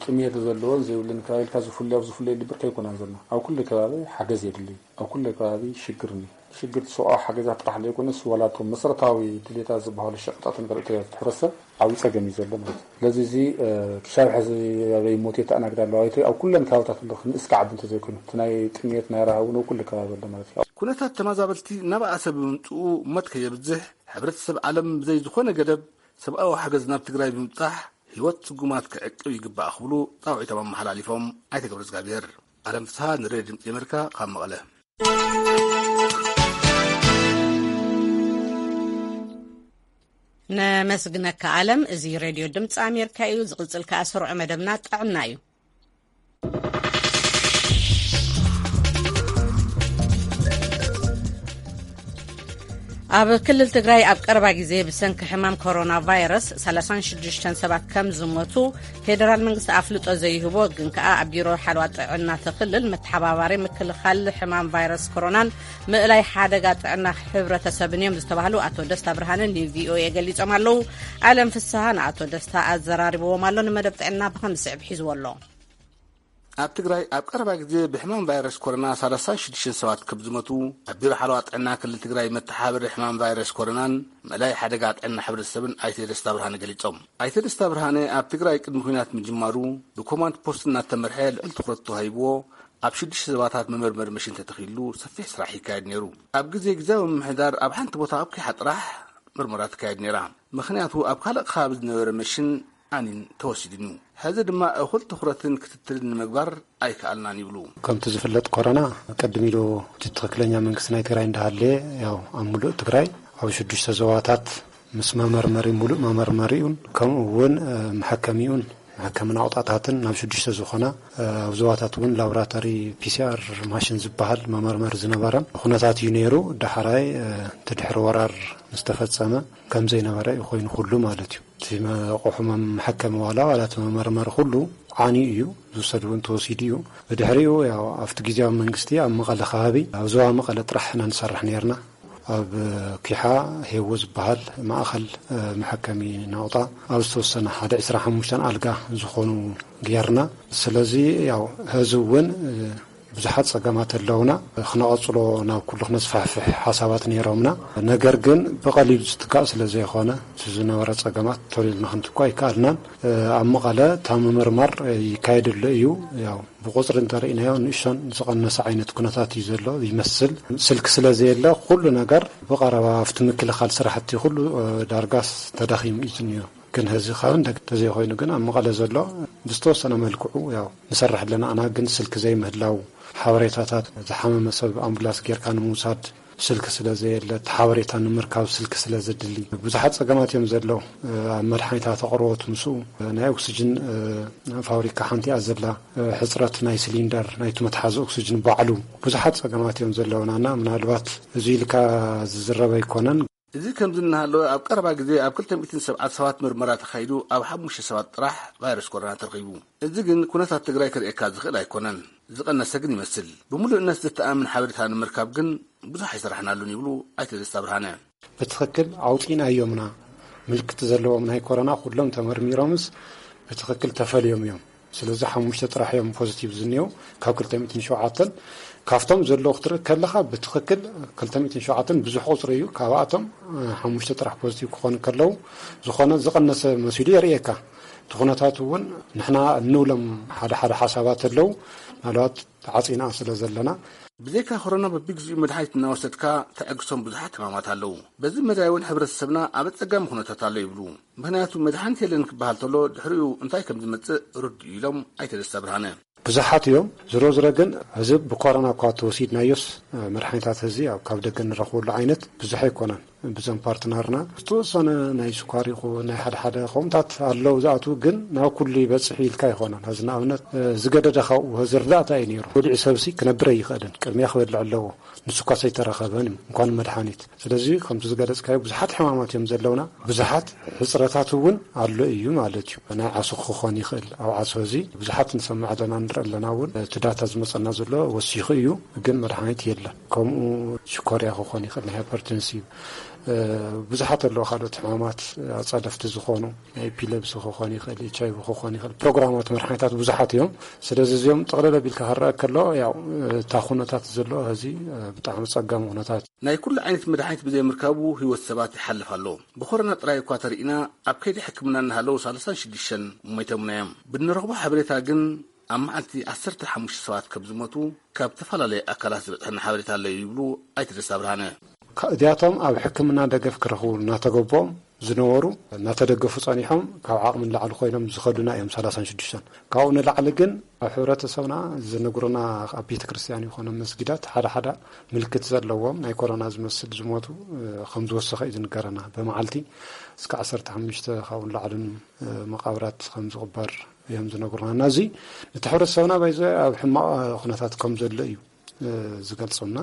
ጥሜት ዘለዎን ዘይብሉን ከባቢ ኢልካ ዝፍለዮ ኣብ ዝፍለየሉ ብርኪ ኣይኮናን ዘለና። ኣብ ኩሉ ከባቢ ሓገዝ የድሊ። ኣብ ኩሉ ከባቢ ሽግር እኒ ሽግር ሰብኣዊ ሓገዛት ጥራሕ ዘይኮነስ ዋላ እቶም መሰረታዊ ድሌታት ዝበሃሉ ሸቐጣትን ካልኦት ድሌታት ሕብረተሰብ ዓብዪ ጸገም እዩ ዘሎ ማለት እዩ። ስለዚ እዚ ክሻብ ሕዚ ኣበይ ሞት የተኣናግድ ኣለዋ። እቲ ኣብ ኩለን ከባብታት ኣሎ፣ ክንእስካ ዓዲ እንተዘይኮይኑ፣ እቲ ናይ ጥሜት ናይ ረሃብ እውን ኣብ ኩሉ ከባቢ ኣሎ ማለት እዩ። ኩነታት ተመዛበልቲ እናበኣሰ ብምምፅኡ ሞት ከየብዝሕ ሕብረተሰብ ዓለም ብዘይ ዝኾነ ገደብ ሰብኣዊ ሓገዝ ናብ ትግራይ ብምብፃሕ ህይወት ስጉማት ክዕቅብ ይግባእ ክብሉ ፃውዒቶም ኣመሓላሊፎም ኣይተ ገብረእግዚኣብሔር። ኣለም ፍስሃ ንሬድዮ ድምፂ ኣሜሪካ ካብ መቐለ። ነመስግነካ ኣለም። እዚ ሬድዮ ድምፂ ኣሜሪካ እዩ። ዝቕፅል ከኣ ስሩዕ መደብና ጥዕና እዩ። ኣብ ክልል ትግራይ ኣብ ቀረባ ግዜ ብሰንኪ ሕማም ኮሮና ቫይረስ ሰላሳን ሽዱሽተን ሰባት ከም ዝሞቱ ፌደራል መንግስቲ ኣፍልጦ ዘይህቦ፣ ግን ከኣ ኣብ ቢሮ ሓለዋ ጥዕና እቲ ክልል መተሓባባሪ ምክልኻል ሕማም ቫይረስ ኮሮናን ምእላይ ሓደጋ ጥዕና ሕብረተሰብን እዮም ዝተባህሉ ኣቶ ደስታ ብርሃነ ንቪኦኤ ገሊጾም ኣለዉ። ኣለም ፍስሃ ንኣቶ ደስታ ኣዘራሪብዎም ኣሎ። ንመደብ ጥዕና ብኸም ዝስዕብ ሒዝዎ ኣሎ። ኣብ ትግራይ ኣብ ቀረባ ግዜ ብሕማም ቫይረስ ኮሮና ሰላሳን ሽዱሽተን ሰባት ከም ዝሞቱ ኣብ ቢሮ ሓለዋ ጥዕና ክልል ትግራይ መተሓባበሪ ሕማም ቫይረስ ኮሮናን ምእላይ ሓደጋ ጥዕና ሕብረተሰብን ኣይተ ደስታ ብርሃነ ገሊጾም። ኣይተ ደስታ ብርሃነ ኣብ ትግራይ ቅድሚ ኲናት ምጅማሩ ብኮማንድ ፖስት እናተመርሐ ልዑል ትኹረት ተዋሂብዎ ኣብ ሽዱሽተ ዞባታት መመርመሪ መሽን ተተኺሉ ሰፊሕ ስራሕ ይካየድ ነይሩ። ኣብ ግዜ ግዝያዊ ምምሕዳር ኣብ ሓንቲ ቦታ ኣብ ኲሓ ጥራሕ ምርመራ ትካየድ ነይራ። ምኽንያቱ ኣብ ካልእ ከባቢ ዝነበረ መሽን ኣኒን ተወሲዱን እዩ። ሕዚ ድማ እኹል ትኹረትን ክትትልን ንምግባር ኣይከኣልናን ይብሉ። ከምቲ ዝፍለጥ ኮሮና ቀድም ኢሉ እቲ ትኽክለኛ መንግስቲ ናይ ትግራይ እንዳሃለየ ያው ኣብ ሙሉእ ትግራይ ኣብ ሽዱሽተ ዞባታት ምስ መመርመሪ፣ ሙሉእ መመርመሪኡን ከምኡ እውን መሐከሚኡን መሐከሚ ናቑጣታትን ናብ ሽዱሽተ ዝኾና ኣብ ዞባታት እውን ላቦራቶሪ ፒሲኣር ማሽን ዝበሃል መመርመሪ ዝነበረን ኩነታት እዩ ነይሩ። ዳሕራይ እቲ ድሕሪ ወራር ምስ ተፈጸመ ከም ዘይነበረ እዩ ኮይኑ ኩሉ ማለት እዩ። እቲ መቑሑ መም-፣ መሐከሚ ዋላ፣ ዋላ እቲ መመርመሪ ኩሉ ዓንዩ እዩ፣ ዝውሰድ እውን ተወሲዱ እዩ። ብድሕሪኡ ያው ኣብቲ ግዜያዊ መንግስቲ ኣብ መቐለ ከባቢ፣ ኣብ ዞባ መቐለ ጥራሕ ኢና ንሰርሕ ነይርና። ኣብ ኪሓ ሄዎ ዝበሃል ማእኸል መሐከሚ ናቑጣ ኣብ ዝተወሰነ ሓደ ዕስራን ሓሙሽተን ኣልጋ ዝኾኑ ጌርና። ስለዚ ያው ሕዚ እውን ብዙሓት ጸገማት ኣለውና። ክነቐጽሎ ናብ ኩሉ ክነስፋሕፍሕ ሓሳባት ነይሮምና። ነገር ግን ብቐሊሉ ዝትካእ ስለ ዘይኾነ፣ እቲ ዝነበረ ጸገማት ቶሎ ኢልና ክንትኮ ኣይከኣልናን። ኣብ መቐለ እታ ምምርማር ይካየደሉ እዩ። ያው ብቁጽሪ እንተርኢናዮ ንእሽቶን ዝቐነሰ ዓይነት ኩነታት እዩ ዘሎ ይመስል። ስልክ ስለ ዘየለ ኩሉ ነገር ብቐረባ ኣብቲ ምክልኻል ስራሕቲ ኩሉ ዳርጋስ ተዳኺሙ እዩ ዝኒኦ። ግን ሕዚ ካብ እንደ ተዘይኮይኑ ግን ኣብ መቐለ ዘሎ ብዝተወሰነ መልክዑ ያው ንሰርሕ ኣለና። ኣና ግን ስልክ ዘይምህላው፣ ሓበሬታታት ዝሓመመ ሰብ ኣምቡላንስ ጌርካ ንምውሳድ ስልክ ስለ ዘየለ፣ እቲ ሓበሬታ ንምርካብ ስልክ ስለ ዘድሊ፣ ብዙሓት ጸገማት እዮም ዘለዉ። ኣብ መድሓኒታት ኣቕርቦት ምስኡ፣ ናይ ኦክስጅን ፋብሪካ ሓንቲ እያ ዘላ። ሕጽረት ናይ ሲሊንደር ናይቲ መትሓዚ ኦክስጅን ባዕሉ፣ ብዙሓት ጸገማት እዮም ዘለውና እና ምናልባት እዚ ኢልካ ዝዝረብ ኣይኮነን። እዚ ከምዚ እናሃለወ ኣብ ቀረባ ግዜ ኣብ ክልተ ሚእትን ሰብዓን ሰባት ምርመራ ተኻይዱ ኣብ ሓሙሽተ ሰባት ጥራሕ ቫይረስ ኮሮና ተረኺቡ። እዚ ግን ኩነታት ትግራይ ከርእየካ ዝኽእል ኣይኮነን። ዝቐነሰ ግን ይመስል። ብምሉእነት ዘተኣማምን ሓበሬታ ንምርካብ ግን ብዙሕ ኣይሰራሕናሉን ይብሉ ኣይተ ደስታ ብርሃነ። ብትኽክል ኣውፂእናዮምና ምልክት ዘለዎም ናይ ኮሮና ኩሎም ተመርሚሮምስ ብትኽክል ተፈልዮም እዮም። ስለዚ ሓሙሽተ ጥራሕ እዮም ፖዚቲቭ ዝኒው ካብ ክልተ ሚእትን ሸውዓተን። ካብቶም ዘለዉ ክትርኢ ከለኻ ብትኽክል ክልተ ሚእትን ሸውዓተን ብዙሕ ቁፅሪ እዩ። ካብኣቶም ሓሙሽተ ጥራሕ ፖዚቲቭ ክኾኑ ከለዉ ዝኾነ ዝቐነሰ መሲሉ የርእየካ። እቲ ኩነታት እውን ንሕና እንብሎም ሓደ ሓደ ሓሳባት ኣለዉ። ምናልባት ተዓፂና ስለ ዘለና። ብዘይካ ኮሮና በቢግዚኡ መድሓኒት እናወሰድካ ተዕግሶም ብዙሓት ሕማማት ኣለዉ። በዚ መዳይ እውን ሕብረተሰብና ኣብ ኣጸጋሚ ኩነታት ኣሎ ይብሉ። ምኽንያቱ መድሓኒት የለን ክበሃል ተሎ ድሕሪኡ እንታይ ከም ዝመጽእ ርዱእ ኢሎም ኣይተ ደስታ ብርሃነ። ብዙሓት እዮም። ዝሮ ዝሮ ግን እዚ ብኮሮና እኳ ተወሲድናዮስ መድሓኒታት እዚ ኣብ ካብ ደገ እንረኽበሉ ዓይነት ብዙሕ ኣይኮነን። ብዞም ፓርትነርና ዝተወሰነ ናይ ስኳር ይኹን ናይ ሓደ ሓደ ከምታት ኣለዉ ዝኣትዉ ግን ናብ ኩሉ ይበጽሕ ኢልካ ኣይኮነን። እዚ ንኣብነት ዝገደደ ካብኡ እዚ ርዳእታ እዩ ነይሩ። ወዲዑ ሰብሲ ክነብር ኣይኽእልን። ቅድሚያ ክበልዕ ኣለዎ። ንሱ እኳ ሰይተረኸበን እዩ እንኳን መድሓኒት። ስለዚ ከምቲ ዝገለጽካዮ ብዙሓት ሕማማት እዮም ዘለውና። ብዙሓት ሕጽረታት እውን ኣሎ እዩ ማለት እዩ። ናይ ዓሶ ክኾን ይኽእል። ኣብ ዓሶ እዚ ብዙሓት ንሰምዕ ኣለና ንርኢ ኣለና እውን እቲ ዳታ ዝመጸና ዘሎ ወሲኹ እዩ። ግን መድሓኒት የለን። ከምኡ ሽኮርያ ክኾን ይኽእል ናይ ሃይፐርቴንሲቭ ብዙሓት ኣለዉ ካልኦት ሕማማት ኣጻደፍቲ ዝኾኑ ናይ ኤፒለብሲ ክኾን ይኽእል ኤች ኣይቪ ክኾን ይኽእል ፕሮግራማት መድሓኒታት ብዙሓት እዮም። ስለዚ እዚኦም ጥቕልል ኣቢልካ ክረአ ከሎ ያው እታ ኩነታት ዘሎ ሕዚ ብጣዕሚ ጸጋሚ ኩነታት። ናይ ኩሉ ዓይነት መድሓኒት ብዘይምርካቡ ህይወት ሰባት ይሓልፍ ኣሎ። ብኮሮና ጥራይ እኳ ተርኢና ኣብ ከይዲ ሕክምና እናሃለዉ ሰላሳን ሽዱሽተን ሞይቶምና እዮም። ብንረኽቦ ሓበሬታ ግን ኣብ መዓልቲ ዓሰርተ ሓሙሽተ ሰባት ከም ዝሞቱ ካብ ተፈላለየ ኣካላት ዝበጽሐና ሓበሬታ ኣሎ ይብሉ ኣይተ ደስታ ብርሃነ። እዚኣቶም ኣብ ሕክምና ደገፍ ክረኽቡ እናተገቦም ዝነበሩ እናተደገፉ ጸኒሖም ካብ ዓቕሚ ንላዕሊ ኮይኖም ዝኸዱና እዮም ሰላሳን ሽዱሽተን። ካብኡ ንላዕሊ ግን ኣብ ሕብረተሰብና ዝነግሩና ኣብ ቤተ ክርስቲያን ይኾኑ መስጊዳት ሓደ ሓደ ምልክት ዘለዎም ናይ ኮሮና ዝመስል ዝሞቱ ከም ዝወሰኸ እዩ ዝንገረና። ብመዓልቲ እስከ ዓሰርተ ሓሙሽተ ካብኡ ንላዕልን መቓብራት ከም ዝቕበር እዮም ዝነግሩና። እና እዚ እቲ ሕብረተሰብና ባይዘ ኣብ ሕማቕ ኩነታት ከም ዘሎ እዩ ዝገልጾምና።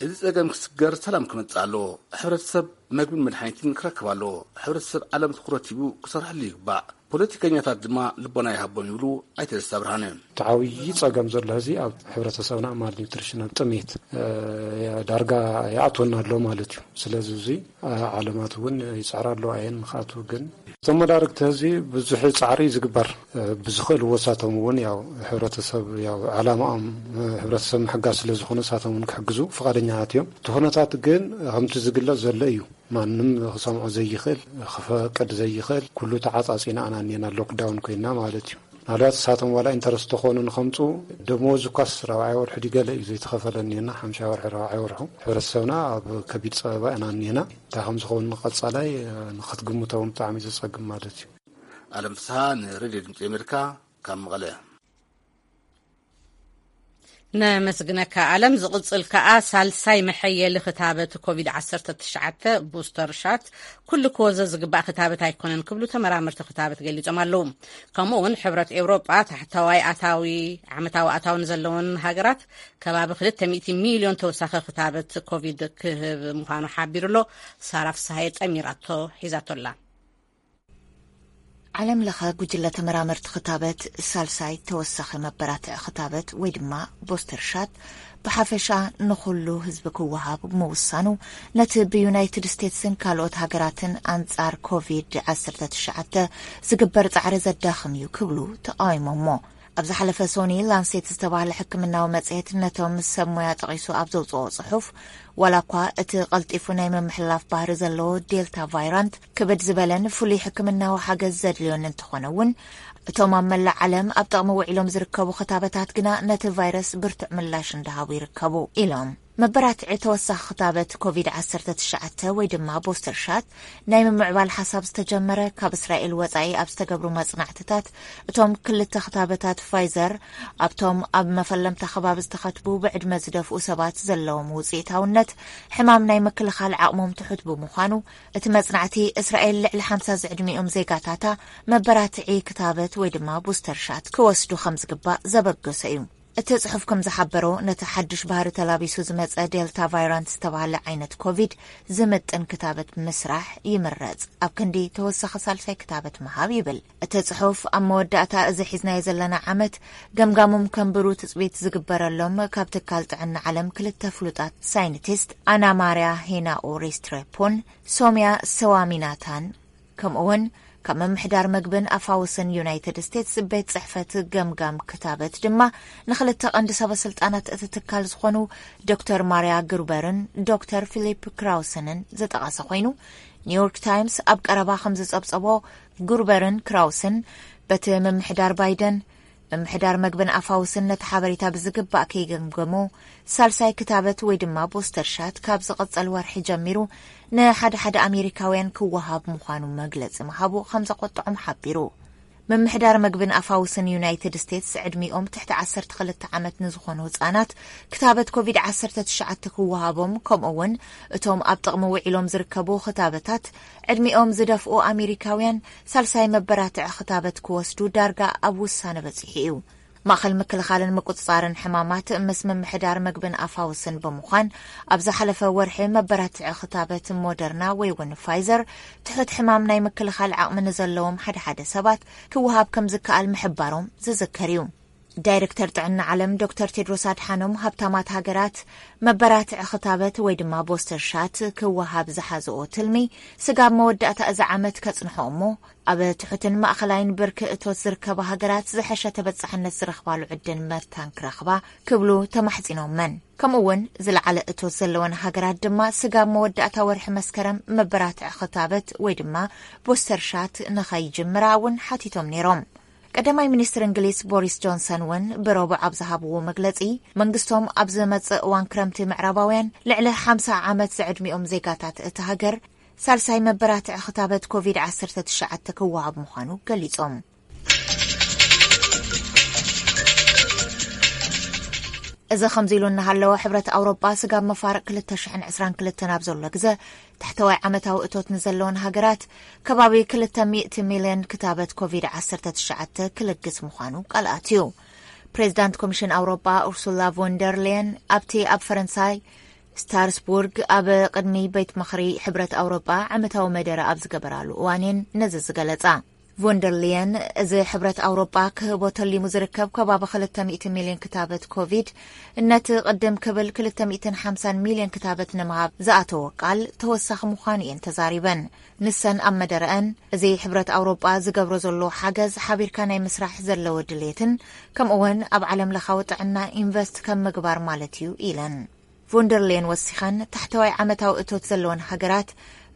እዚ ጸገም ክስገር ሰላም ክመጽእ ኣለዎ። ሕብረተሰብ መግብን መድሓኒትን ክረክብ ኣለዎ። ሕብረተሰብ ዓለም ትኹረት ሂቡ ክሰርሐሉ ይግባእ። ፖለቲከኛታት ድማ ልቦና ይሃቦም ይብሉ ኣይተ ደስታ ብርሃነ። እቲ ዓብዪ ጸገም ዘሎ ሕዚ ኣብ ሕብረተሰብና ማል ኒውትሪሽን ኣብ ጥሜት ዳርጋ ይኣትወና ኣሎ ማለት እዩ። ስለዚ እዚ ዓለማት እውን ይጽዕራ ኣለዋ እየን ንክኣትዉ ግን እቶም መዳርግቲ ሕዚ ብዙሕ ጻዕሪ ዝግበር ብዝኽእልዎ ሳቶም እውን ያው ሕብረተሰብ ያው ዓላማኦም ሕብረተሰብ ምሕጋዝ ስለ ዝኾነ ሳቶም እውን ክሕግዙ ፍቓደኛታት እዮም። እቲ ኩነታት ግን ከምቲ ዝግለጽ ዘሎ እዩ። ማንም ክሰምዖ ዘይኽእል ክፈቅድ ዘይኽእል ኩሉ ተዓጻጺና ኣናኒና ሎክዳውን ኮይና ማለት እዩ። ምናልባት እሳቶም ዋላ ኢንተረስት ተኾኑ ንኸምፁ ደሞዝ እኳስ ራብዓይ ወርሒ ድገለ እዩ ዘይተኸፈለ እኒና ሓምሻይ ወርሒ ራብዓይ ወርሑ ሕብረተሰብና ኣብ ከቢድ ፀበባ ኢና እኒና እንታይ ከም ዝኸውን ንቐፃላይ ንክትግምተውን ብጣዕሚ ዘፀግም ማለት እዩ። ኣለም ፍስሃ ንሬድዮ ድምፂ ኣሜሪካ ካብ መቐለ። ነመስግነካ ኣለም። ዝቕጽል ከኣ ሳልሳይ መሐየሊ ክታበት ኮቪድ ዓሰርተ ትሽዓተ ቡስተር ሻት ኩሉ ክወዘ ዝግባእ ክታበት ኣይኮነን ክብሉ ተመራመርቲ ክታበት ገሊጾም ኣለዉ። ከምኡ እውን ሕብረት ኤውሮጳ ታሕተዋይ ኣታዊ ዓመታዊ ኣታዊ ንዘለወን ሃገራት ከባቢ ክልተ ሚእቲ ሚልዮን ተወሳኺ ክታበት ኮቪድ ክህብ ምዃኑ ሓቢሩ ኣሎ። ሳራ ፍስሃየ ጠሚራቶ ሒዛቶ ኣላ። ዓለም ለኸ ጉጅለ ተመራመርቲ ክታበት ሳልሳይ ተወሳኺ መበራትዒ ክታበት ወይ ድማ ቦስተር ሻት ብሓፈሻ ንኹሉ ህዝቢ ክወሃብ ምውሳኑ፣ ነቲ ብዩናይትድ ስቴትስን ካልኦት ሃገራትን ኣንጻር ኮቪድ ዓሰርተ ትሽዓተ ዝግበር ጻዕሪ ዘዳኽም እዩ ክብሉ ተቓዊሞሞ። ኣብ ዝሓለፈ ሶኒ ላንሴት ዝተባህለ ሕክምናዊ መጽሔት ነቶም ሰብ ሞያ ጠቒሱ ኣብ ዘውጽኦ ጽሑፍ፣ ዋላ እኳ እቲ ቀልጢፉ ናይ ምምሕልላፍ ባህሪ ዘለዎ ዴልታ ቫይራንት ክብድ ዝበለን ፍሉይ ሕክምናዊ ሓገዝ ዘድልዮን እንተኾነ እውን፣ እቶም ኣብ መላእ ዓለም ኣብ ጥቕሚ ውዒሎም ዝርከቡ ክታበታት ግና ነቲ ቫይረስ ብርቱዕ ምላሽ እንዳሃቡ ይርከቡ ኢሎም። መበራትዒ ተወሳኺ ክታበት ኮቪድ ዓሰርተ ትሽዓተ ወይ ድማ ቦስተር ሻት ናይ ምምዕባል ሓሳብ ዝተጀመረ ካብ እስራኤል ወጻኢ ኣብ ዝተገብሩ መጽናዕትታት፣ እቶም ክልተ ክታበታት ፋይዘር ኣብቶም ኣብ መፈለምታ ከባቢ ዝተኸትቡ ብዕድመ ዝደፍኡ ሰባት ዘለዎም ውጽኢታውነት ሕማም ናይ ምክልኻል ዓቕሞም ትሑት ብምዃኑ፣ እቲ መጽናዕቲ እስራኤል ልዕሊ ሓምሳ ዝዕድሚኦም ዜጋታታ መበራትዒ ክታበት ወይ ድማ ቡስተር ሻት ክወስዱ ከም ዝግባእ ዘበገሰ እዩ። እቲ ጽሑፍ ከም ዝሓበሮ፣ ነቲ ሓድሽ ባህሪ ተላቢሱ ዝመጸ ዴልታ ቫይራንት ዝተባህለ ዓይነት ኮቪድ ዝምጥን ክታበት ምስራሕ ይምረጽ፣ ኣብ ክንዲ ተወሳኺ ሳልሳይ ክታበት ምሃብ ይብል። እቲ ጽሑፍ ኣብ መወዳእታ እዚ ሒዝናዮ ዘለና ዓመት ገምጋሞም ከንብሩ ትጽቢት ዝግበረሎም ካብ ትካል ጥዕና ዓለም ክልተ ፍሉጣት ሳይንቲስት ኣና ማርያ ሄናኦ ሬስትሬፖን ሶምያ ሰዋሚናታን፣ ከምኡውን ካብ ምምሕዳር መግብን ኣፋውስን ዩናይትድ ስቴትስ ቤት ጽሕፈት ገምጋም ክታበት ድማ ንኽልተ ቀንዲ ሰበ ስልጣናት እቲ ትካል ዝኾኑ ዶክተር ማርያ ግሩበርን ዶክተር ፊሊፕ ክራውሰንን ዝጠቐሰ ኮይኑ፣ ኒውዮርክ ታይምስ ኣብ ቀረባ ከም ዝጸብጸቦ፣ ግሩበርን ክራውስን በቲ ምምሕዳር ባይደን ምምሕዳር መግብን ኣፋውስን ነቲ ሓበሬታ ብዝግባእ ከይገምገሞ፣ ሳልሳይ ክታበት ወይ ድማ ቦስተር ሻት ካብ ዝቕጸል ወርሒ ጀሚሩ ንሓደ ሓደ ኣሜሪካውያን ክወሃብ ምዃኑ መግለጺ ምሃቡ ከም ዘቖጥዖም ሓቢሩ። ምምሕዳር መግብን ኣፋውስን ዩናይትድ ስቴትስ ዕድሚኦም ትሕቲ ዓሰርተ ክልተ ዓመት ንዝኾኑ ህጻናት ክታበት ኮቪድ ዓሰርተ ትሽዓተ ክወሃቦም፣ ከምኡ እውን እቶም ኣብ ጥቕሚ ውዒሎም ዝርከቡ ክታበታት ዕድሚኦም ዝደፍኡ ኣሜሪካውያን ሳልሳይ መበራትዒ ክታበት ክወስዱ ዳርጋ ኣብ ውሳነ በጺሑ እዩ። ማእኸል ምክልኻልን ምቁጽጻርን ሕማማት ምስ ምምሕዳር መግብን ኣፋውስን ብምዃን፣ ኣብ ዝሓለፈ ወርሒ መበራትዒ ክታበት ሞደርና ወይ እውን ፋይዘር ትሑት ሕማም ናይ ምክልኻል ዓቕሚ ንዘለዎም ሓደ ሓደ ሰባት ክወሃብ ከም ዝከኣል ምሕባሮም ዝዝከር እዩ። ዳይሬክተር ጥዕና ዓለም ዶክተር ቴድሮስ ኣድሓኖም፣ ሃብታማት ሃገራት መበራትዒ ክታበት ወይ ድማ ቦስተር ሻት ክወሃብ ዝሓዝኦ ትልሚ ስጋብ መወዳእታ እዚ ዓመት ከጽንሖ እሞ፣ ኣብ ትሑትን ማእኸላይን ብርኪ እቶት ዝርከባ ሃገራት ዝሐሸ ተበጻሕነት ዝረኽባሉ ዕድል መታን ክረኽባ ክብሉ ተማሕጺኖመን። ከምኡ እውን ዝለዓለ እቶት ዘለወን ሃገራት ድማ ስጋብ መወዳእታ ወርሒ መስከረም መበራትዒ ክታበት ወይ ድማ ቦስተር ሻት ንኸይጅምራ እውን ሓቲቶም ነይሮም። ቀዳማይ ሚኒስትር እንግሊዝ ቦሪስ ጆንሰን እውን ብረቡዕ ኣብ ዝሃብዎ መግለጺ፣ መንግስቶም ኣብ ዝመጽእ እዋን ክረምቲ ምዕራባውያን ልዕሊ ሓምሳ ዓመት ዝዕድሚኦም ዜጋታት እቲ ሃገር ሳልሳይ መበራትዒ ክታበት ኮቪድ ዓሰርተ ትሽዓተ ክወሃብ ምዃኑ ገሊጾም። እዚ ከምዚ ኢሉ እናሃለወ፣ ሕብረት ኣውሮጳ ስጋብ መፋርቕ ክልተ ሽሕን ዕስራን ክልተን ኣብ ዘሎ ግዘ፣ ታሕተዋይ ዓመታዊ እቶት ንዘለወን ሃገራት ከባቢ ክልተ ሚእቲ ሚልዮን ክታበት ኮቪድ ዓሰርተ ትሽዓተ ክልግስ ምዃኑ ቃል ኣትዩ። ፕሬዚዳንት ኮሚሽን ኣውሮጳ ኡርሱላ ቮንደር ሌየን ኣብቲ ኣብ ፈረንሳይ ስትራስቡርግ ኣብ ቅድሚ ቤት ምኽሪ ሕብረት ኣውሮጳ ዓመታዊ መደረ ኣብ ዝገበራሉ እዋን እየን ነዚ ዝገለጻ። ቮንደር ሊየን፣ እዚ ሕብረት ኣውሮጳ ክህቦ ተሊሙ ዝርከብ ከባቢ ክልተ ሚእቲ ሚልዮን ክታበት ኮቪድ፣ ነቲ ቅድም ክብል ክልተ ሚእትን ሓምሳን ሚልዮን ክታበት ንምሃብ ዝኣተዎ ቃል ተወሳኺ ምዃኑ እየን ተዛሪበን። ንሰን ኣብ መደረአን፣ እዚ ሕብረት ኣውሮጳ ዝገብሮ ዘሎ ሓገዝ ሓቢርካ ናይ ምስራሕ ዘለዎ ድሌትን፣ ከምኡውን ኣብ ዓለም ለኻዊ ጥዕና ኢንቨስት ከም ምግባር ማለት እዩ ኢለን። ቮንደርሌን ወሲኸን፣ ታሕተዋይ ዓመታዊ እቶት ዘለወን ሃገራት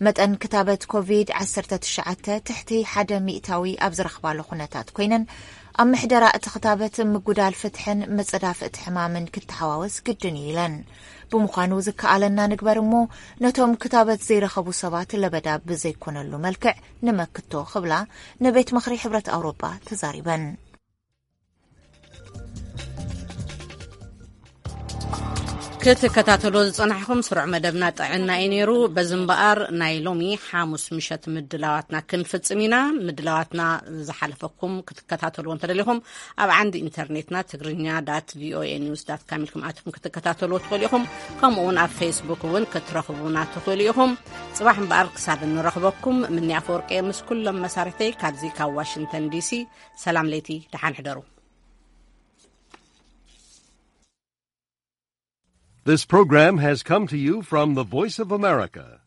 መጠን ክታበት ኮቪድ ዓሰርተ ትሽዓተ ትሕቲ ሓደ ሚእታዊ ኣብ ዝረኽባሉ ኩነታት ኮይነን፣ ኣብ ምሕደራ እቲ ክታበት ምጉዳል ፍትሕን ምጽዳፍ እቲ ሕማምን ክተሓዋወስ ግድን እዩ ኢለን። ብምዃኑ ዝከኣለና ንግበር እሞ ነቶም ክታበት ዘይረኸቡ ሰባት ለበዳ ብዘይኮነሉ መልክዕ ንመክቶ ክብላ ንቤት ምኽሪ ሕብረት ኣውሮጳ ተዛሪበን። ክትከታተሎ ዝጸናሕኩም ስሩዕ መደብና ጥዕና እዩ ነይሩ። በዚ እምበኣር ናይ ሎሚ ሓሙስ ምሸት ምድላዋትና ክንፍጽም ኢና። ምድላዋትና ዝሓለፈኩም ክትከታተልዎ እንተደሊኹም ኣብ ዓንዲ ኢንተርኔትና ትግርኛ ዳት ቪኦኤ ኒውስ ዳት ካም ኢልኩም ኣትኩም ክትከታተልዎ ትኽእሉ ኢኹም። ከምኡ እውን ኣብ ፌስቡክ እውን ክትረኽቡና ትኽእሉ ኢኹም። ጽባሕ እምበኣር ክሳብ እንረኽበኩም ምንያ ኣፈወርቂ ምስ ኩሎም መሳርሕተይ ካብዚ ካብ ዋሽንግተን ዲሲ ሰላም ለይቲ ደሓን ሕደሩ። This program has come to you from the Voice of America,